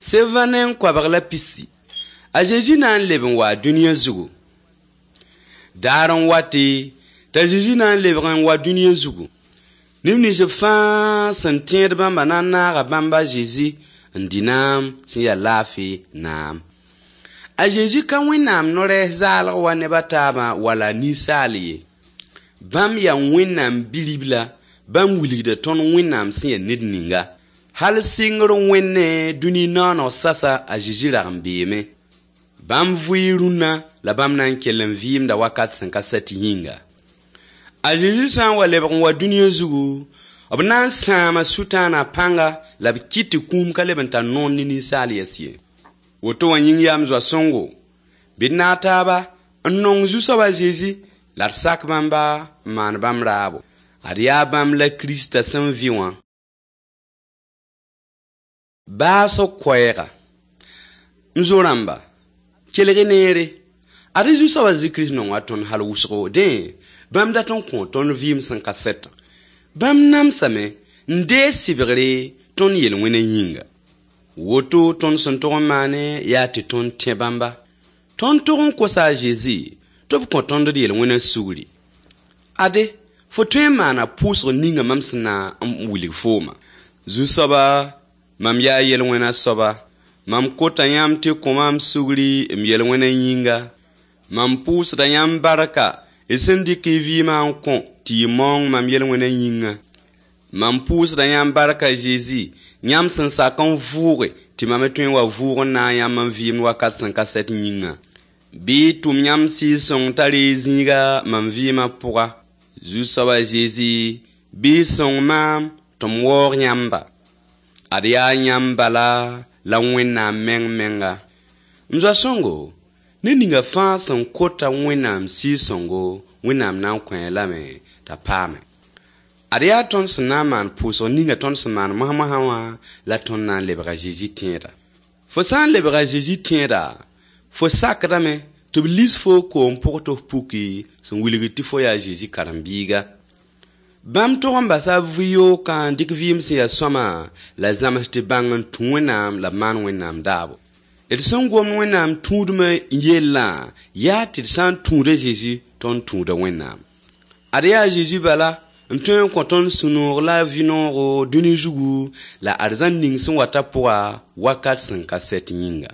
720. A Zezi na n leb n wa dũniyã zugu. Daar n wate t'a Zezi na n lebg n wa dũniyã zugu. Neb nins fãa sẽn tẽed bãmba na n naaga bãmb a Zezi n dɩ naam sẽn yaa laafɩ naam. A Zezi ka Wẽnnaam no-rɛɛs zaalg wa neb a taabã wala ninsaal ye. Bãmb yaa Wẽnnaam Bi-ribla, bãmb wilgda tõnd Wẽnnaam sẽn yaa ned ninga. Hal sɩngr wẽnne dũni nooneg sasa a Zezi rag n beeme. Bãmb vʋɩ rũnna la bãmb na n kell n vɩɩmda wakat sẽn ka sɛt yĩnga. A Zezi sã n wa lebg n wa dũniyã zugu, b na n sãama Sʋtãana pãnga la b kɩt tɩ kũum ka leb n tar noor ne ninsaal yɛs ye. Woto wã yĩng yaa m zoa-sõngo, bɩ d naag taaba n nong Zu-soab a Zezi la d sak bãmba n maan bãmb raabo. Ad yaa bãmb la Kirista sẽn vɩ wã. Baasg koɛɛga. M zo-rãmba, kelg neere. Ad Zu-soab a Zezi Kirist nonga tõnd hal wʋsgo. Dẽ, bãmb dat n kõ tõnd vɩɩm sẽn ka sɛtã. Bãmb namsame n deeg sɩbgre tõnd yel-wẽna yĩnga. Woto tõnd sẽn tog n maane yaa tɩ tõnd tẽ bãmba. Tõnd tog n kosa a Zezi tɩ b kõ tõnd d yel-wẽna sugri. Ade, fo tõe n maana pʋʋsg ninga mam sẽn na n wilg fooma. Zu-soaba, mam yaa yel-wẽna soaba. Mam kota yãmb tɩ kõ maam sugri m yel-wẽna yĩnga. Mam pʋʋsda yãmb barka y sẽn dɩk y vɩɩmã n kõ tɩ y maoong mam yel-wẽna yĩnga. Mam pʋʋsda yãmb barka Zezi, yãmb sẽn sak n vʋʋge tɩ mam me tõe n wa vʋʋg n naag yãmb n vɩɩmd wakat sẽn ka sɛt yĩnga. Bɩ y tʋm yãmb Sɩɩg-sõng t'a reeg zĩiga mam vɩɩmã pʋga. Zu-soab a Zezi, bɩ y sõng maam tɩ m waoog yãmba. Ad yaa yãmb bala la Wẽnnaam meng menga. M zoa-sõngo, ned ninga fãa sẽn kota Wẽnnaam Sɩɩg-sõngo, Wẽnnaam na n kõ-a lame t'a paame. Ad yaa tõnd sẽn na n maan pʋʋsg ninga tõnd sẽn maan mosã wã la tõnd na n lebg a Zezi tẽeda. Fo sã n lebg a Zezi tẽeda, fo sakdame tɩ b lis foo koom pʋg tɩ f puki sẽn wilgd tɩ fo yaa a Zezi karen-biiga. Bãmb tog n basa b vɩ-yookã n dɩk vɩɩm sẽn yaa sõama la zãms tɩ bãng n tũ Wẽnnaam la b maan Wẽnnaam daabo. D sẽn gomd Wẽnnaam tũudmã yellã yaa tɩ d sã n tũud a Zezi tõnd tũuda Wẽnnaam. Ad yaa a Zezi bala n tõe n kõ tõnd sũ-noog la vɩ-noogo dũni zugu la arzãn ning sẽn wata pʋga wakat sẽn ka sɛt yĩnga.